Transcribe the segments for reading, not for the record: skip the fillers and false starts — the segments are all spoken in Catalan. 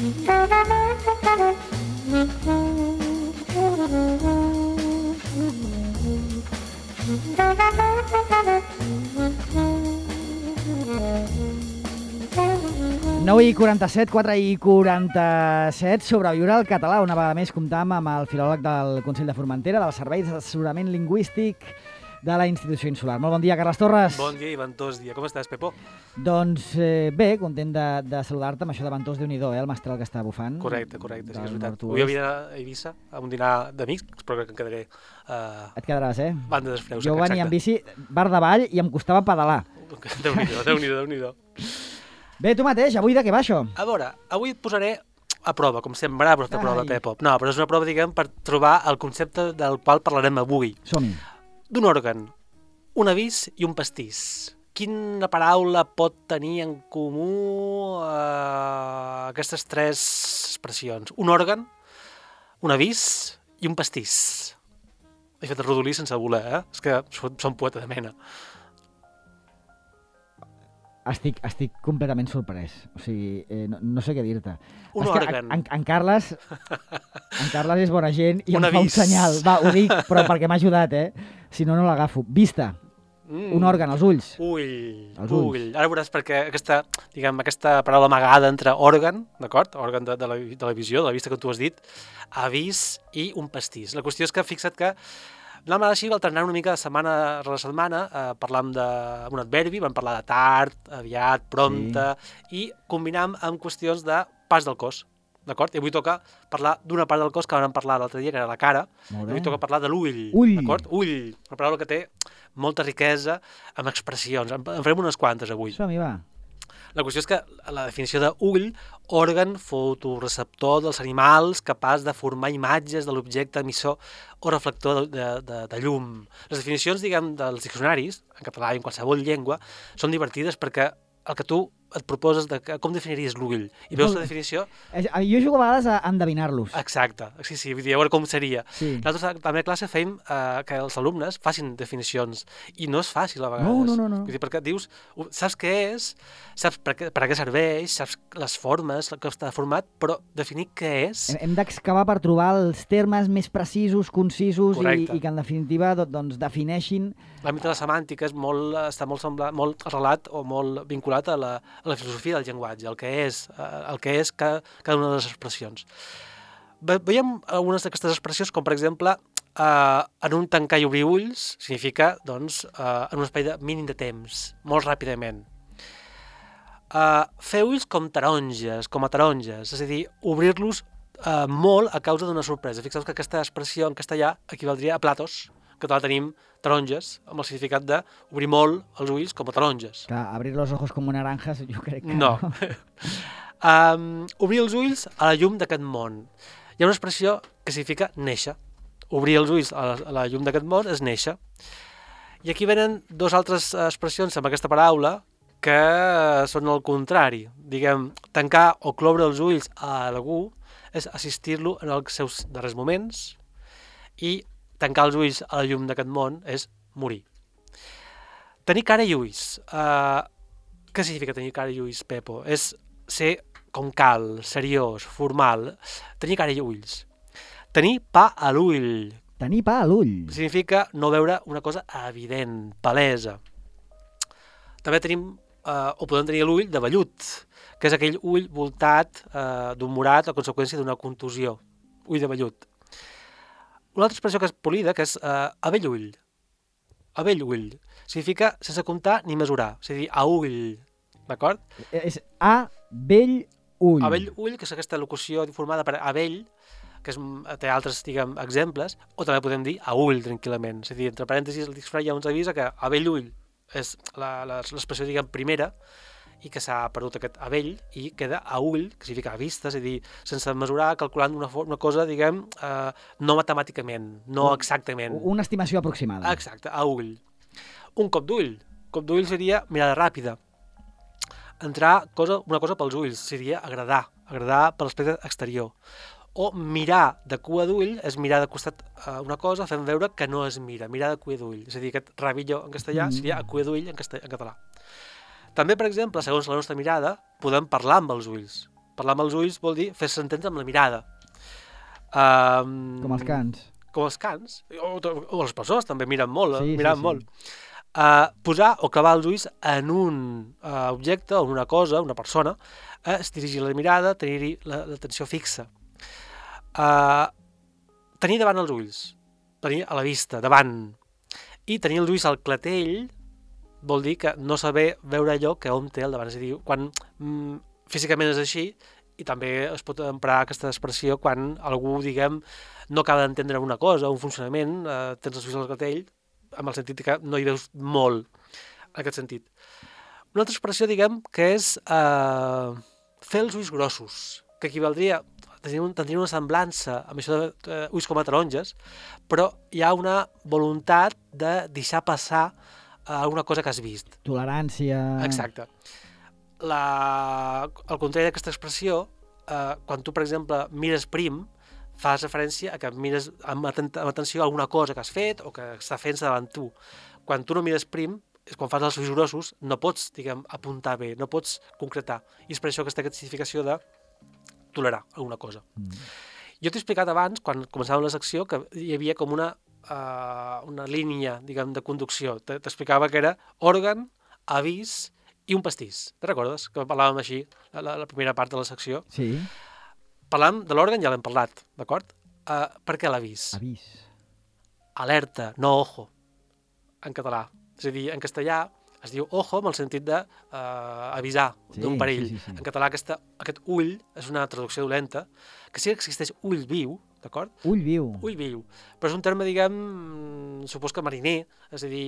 I 47, 4 i 47, sobreviure al català. Una vegada més comptam amb el filòleg del Consell de Formentera, del Servei d'Assessorament Lingüístic de la Institució Insular. Molt bon dia, Carles Torres. Bon dia i ventós dia. Com estàs, Pepo? Doncs bé, content de saludar-te amb això de ventós, Déu-n'hi-do, el mestral que està bufant. Correcte, sí, és veritat. Avui havia d'anar a Eivissa a un dinar d'amics, però que em quedaré... Et quedaràs, eh? Banda d'Esfreus. Jo venia amb bici, bar davall, i em costava pedalar. Déu-n'hi-do. Bé, tu mateix, avui de què va això? A veure, avui et posaré a prova, com sempre, a prova, Pepo. No, però és una prova, diguem, per trobar el concepte del qual parlarem avui. Som-hi. D'un òrgan, un avís i un pastís. Quina paraula pot tenir en comú aquestes tres expressions? Un òrgan, un avís i un pastís. He fet el rodolí sense voler, eh? És que som poeta de mena. Estic completament sorprès. O sigui, no sé què dir-te. Un òrgan. En Carles és bona gent i em fa un senyal. Va, ho dic, però perquè m'ha ajudat, eh? Si no, no l'agafo. Vista. Un òrgan, els ulls. Ull. Ara veuràs perquè aquesta paraula amagada entre òrgan, d'acord? Òrgan de la visió, de la vista que tu has dit, avís i un pastís. La qüestió és que fixa't que anàvem així alternant una mica de setmana rere setmana, parlàvem d'un adverbi, vam parlar de tard, aviat, prompte, sí. I combinàvem amb qüestions de pas del cos, d'acord? I avui toca parlar d'una part del cos que vam parlar l'altre dia, que era la cara, i avui toca parlar de l'ull, d'acord? Ull, una paraula que té molta riquesa amb expressions, en farem unes quantes avui. Som-hi, va. La qüestió és que la definició d'ull, òrgan fotoreceptor dels animals capaç de formar imatges de l'objecte emissor o reflector de llum. Les definicions, diguem, dels diccionaris, en català i en qualsevol llengua, són divertides perquè el que tu et proposes de com definiries l'ull. I veus la definició... Jo jugo a vegades a endevinar-los. Exacte, sí, vull dir, a veure com seria. Sí. Nosaltres també a classe fèiem que els alumnes facin definicions i no és fàcil a vegades. No. Vull dir, perquè dius, saps què és, saps per a què serveix, saps les formes, que està format, però definir què és... Hem d'excavar per trobar els termes més precisos, concisos i que en definitiva doncs defineixin... L'àmbit de la semàntica està molt arrelat o molt vinculat a la filosofia del llenguatge, el que és cada una de les expressions. Veiem algunes d'aquestes expressions, com per exemple, en un tancar i obrir ulls, significa, doncs, en un espai mínim de temps, molt ràpidament. Fer ulls com a taronges, és a dir, obrir-los molt a causa d'una sorpresa. Fixeu que aquesta expressió en castellà equivaldria a platos, que la tenim taronges, amb el significat d'obrir molt els ulls com a taronges. Clar, abrir los ojos com naranjas, jo crec que no. Obrir els ulls a la llum d'aquest món. Hi ha una expressió que significa néixer. Obrir els ulls a la llum d'aquest món és néixer. I aquí venen dues altres expressions amb aquesta paraula que són el contrari. Diguem, tancar o cloure els ulls a algú és assistir-lo en els seus darrers moments i tancar els ulls a la llum d'aquest món és morir. Tenir cara i ulls. Què significa tenir cara i ulls, Pepo? És ser com cal, seriós, formal. Tenir cara i ulls. Tenir pa a l'ull. Tenir pa a l'ull. Significa no veure una cosa evident, palesa. També tenim, o podem tenir l'ull de vellut, que és aquell ull voltat d'un morat a conseqüència d'una contusió. Ull de vellut. Una altra expressió que és polida, que és a bell ull. A bell ull. Significa sense comptar ni mesurar. És a dir, a ull. D'acord? És a bell ull. A bell ull, que és aquesta locució formada per a bell, que té altres, diguem, exemples, o també podem dir a ull, tranquil·lament. És a dir, entre parèntesis, el diccionari ja ens avisa que a bell ull és l'expressió, diguem, primera, i que s'ha perdut aquest a vell i queda a ull, que significa a vista, és a dir, sense mesurar, calculant una cosa, diguem, no matemàticament, no exactament. Una estimació aproximada. Exacte, a ull. Un cop d'ull. Cop d'ull seria mirada ràpida. Entrar una cosa pels ulls, seria agradar per l'aspecte exterior. O mirar de cua d'ull és mirar de costat una cosa fent veure que no es mira, mirar de cua d'ull. És a dir, aquest rabillo en castellà seria a cua d'ull en català. També, per exemple, segons la nostra mirada, podem parlar amb els ulls. parlar amb els ulls vol dir fer-se entendre amb la mirada. Com els cans. Com els cans, o les persones també miren molt, Sí, miraven sí. molt. Posar o clavar els ulls en un objecte o en una cosa, una persona, es dirigir la mirada, tenir-hi l'atenció fixa. Tenir davant els ulls, tenir a la vista, davant, i tenir els ulls al clatell vol dir que no saber veure allò que hom té al davant. És a dir, quan físicament és així, i també es pot emprar aquesta expressió quan algú, diguem, no acaba d'entendre una cosa, un funcionament, tens els ulls al clatell, amb el sentit que no hi veus molt, en aquest sentit. Una altra expressió, diguem, que és fer els ulls grossos, que equivaldria, tindria una semblança amb això de ulls com a taronges, però hi ha una voluntat de deixar passar alguna cosa que has vist. Tolerància... Exacte. Al contrari d'aquesta expressió, quan tu, per exemple, mires prim, fas referència a que mires amb atenció a alguna cosa que has fet o que està fent-se davant tu. Quan tu no mires prim, és quan fas els ulls grossos, no pots, diguem, apuntar bé, no pots concretar. I és per això aquesta significació de tolerar alguna cosa. Jo t'he explicat abans, quan començàvem la secció, que hi havia com una línia, diguem, de conducció. T'explicava que era òrgan, avís i un pastís. Te recordes? Que parlàvem així, la primera part de la secció. Sí. Parlàvem de l'òrgan, ja l'hem parlat, d'acord? Per què l'avís? Avís. Alerta, no ojo, en català. És a dir, en castellà es diu ojo amb el sentit d'avisar d'un perill. Sí. En català aquest ull és una traducció dolenta, que sí que existeix ull viu, d'acord? Ull viu. Ull viu. Però és un terme, diguem, supos que mariner, és a dir,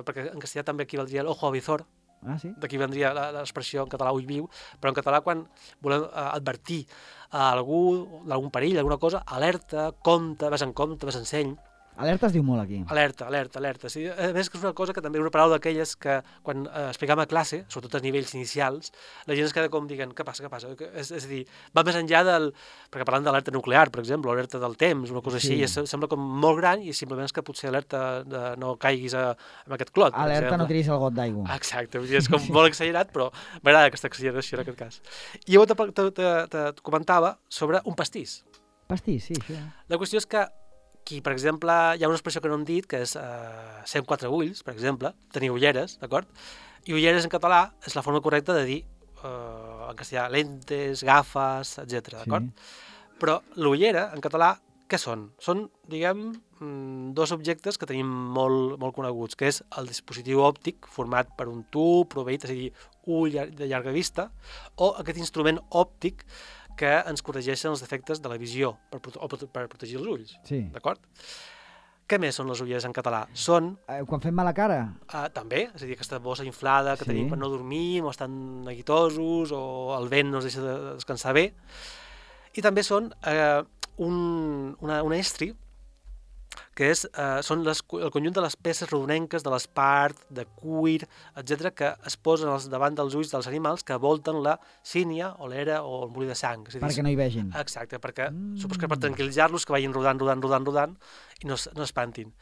perquè en castellà també equivaldria l'ojo avizor, Ah, sí? d'aquí vendria l'expressió en català ull viu, però en català quan volem advertir a algú d'algun perill, alguna cosa, alerta, compte, ves en seny. Alerta es diu molt aquí. Alerta. Sí, a més que és una cosa que també és una paraula d'aquelles que quan explicam a classe, sobretot a nivells inicials, la gent es queda com dient, què passa? És a dir, va més enllà del... Perquè parlant d'alerta nuclear, per exemple, o alerta del temps, una cosa així, sembla com molt gran i simplement és que potser alerta de no caiguis en aquest clot. Alerta, no tiris el got d'aigua. Exacte, és com molt exagerat, però m'agrada aquesta exageració en aquest cas. I llavors te comentava sobre un pastís. Pastís, sí, això. La qüestió és que aquí, per exemple, hi ha una expressió que no hem dit, que és ser amb 4 ulls, per exemple, tenir ulleres, d'acord? I ulleres en català és la forma correcta de dir, en castellà, lentes, gafes, etc. d'acord? Però l'ullera, en català, què són? Són, diguem, dos objectes que tenim molt coneguts, que és el dispositiu òptic format per un tub proveït, és a dir, ull de llarga vista, o aquest instrument òptic que ens corregeixen els defectes de la visió per protegir els ulls, d'acord? Què més són les ulleres en català? Són... Quan fem mala cara? També, és a dir, aquesta bossa inflada que tenim per no dormir, o estan neguitosos, o el vent no ens deixa de descansar bé. I també són un estri, que són el conjunt de les peces rodonenques, de l'espart, de cuir, etc., que es posen davant dels ulls dels animals que volten la sínia, o l'era, o el molí de sang. Perquè no hi vegin. Exacte, perquè supos que per tranquil·litzar-los, que vagin rodant i no espantin.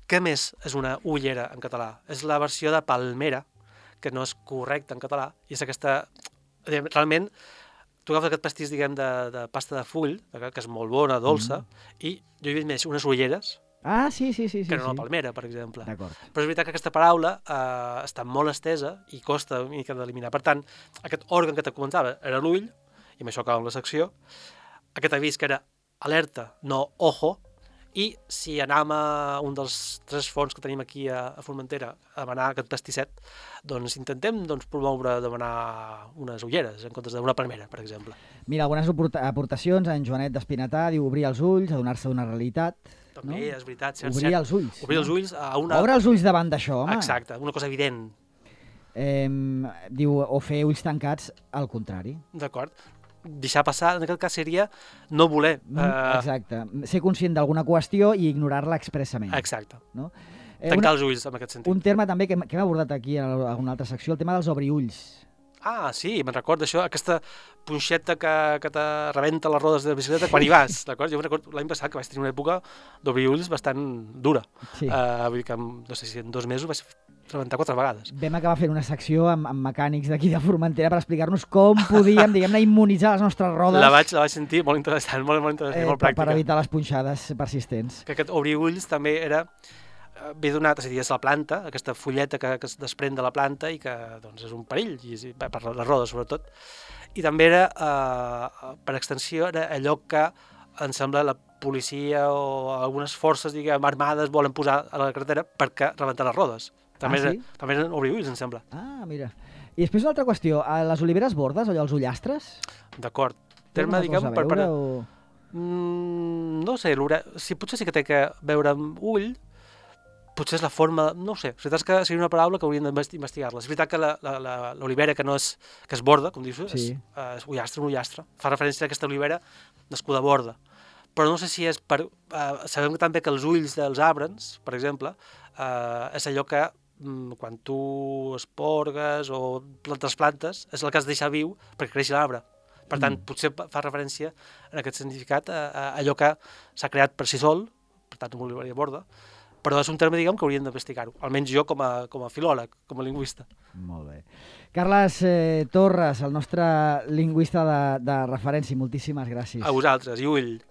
Què més és una ullera en català? És la versió de palmera, que no és correcta en català, i és aquesta... Realment, tu agafes aquest pastís, diguem, de pasta de full, que és molt bona, dolça, i jo he vist més unes ulleres, sí. que no la palmera, per exemple. D'acord. Però és veritat que aquesta paraula està molt estesa i costa una mica d'eliminar. Per tant, aquest òrgan que te comentava era l'ull, i amb això acabem la secció, aquest avís que era alerta, no ojo, i si anàvem a un dels 3 fons que tenim aquí a Formentera a demanar aquest pastisset, doncs intentem promoure demanar unes ulleres en comptes d'una palmera, per exemple. Mira, algunes aportacions, en Joanet d'Espinatà diu obrir els ulls, adonar-se d'una realitat. També, és veritat. Obrir els ulls. Obrir els ulls a una... Obre els ulls davant d'això, home. Exacte, una cosa evident. Diu, o fer ulls tancats al contrari. D'acord. Deixar passar, en aquest cas seria no voler... Exacte. Ser conscient d'alguna qüestió i ignorar-la expressament. Exacte. No? Tancar els ulls, en aquest sentit. Un terme també que hem abordat aquí en alguna altra secció, el tema dels obriulls. Sí, me'n recordo això, aquesta punxeta que te rebenta les rodes de la bicicleta quan hi vas, d'acord? Jo me'n recordo l'any passat que vaig tenir una època d'obrir ulls bastant dura. Sí. Vull dir que, no sé si en 2 mesos vaig rebentar 4 vegades. Vam acabar fent una secció amb mecànics d'aquí de Formentera per explicar-nos com podíem, diguem-ne, immunitzar les nostres rodes. La vaig sentir molt interessant, molt interessant, molt pràctica. Per evitar les punxades persistents. Que aquest obrir ulls també ve donat, és a dir, és la planta, aquesta fulleta que es desprèn de la planta i que doncs, és un perill, per les rodes sobretot. I també era, per extensió, era allò que em sembla la policia o algunes forces, diguem, armades volen posar a la carretera perquè rebentar les rodes. També eren obrir ulls, em sembla. Ah, mira. I després una altra qüestió, a les oliveres bordes, allò, els ullastres? D'acord. Terme, diguem, no sé, si potser sí que té que veure amb ull, potser és la forma, no ho sé, la veritat és que seria una paraula que hauríem d'investigar-la. És veritat que l'olivera que és borda, com dius, és ullastre, un ullastre. Fa referència a aquesta olivera nascuda a borda. Però no sé si és per... sabem també que els ulls dels arbres, per exemple, és allò que quan tu esporgues o plantes, és el que has de deixar viu perquè creixi l'arbre. Per tant, potser fa referència en aquest significat a allò que s'ha creat per si sol, per tant, una oliveria borda, però és un terme, diguem, que hauríem d'investigar-ho, almenys jo com a filòleg, com a lingüista. Molt bé. Carles Torres, el nostre lingüista de referència, moltíssimes gràcies. A vosaltres, i ull.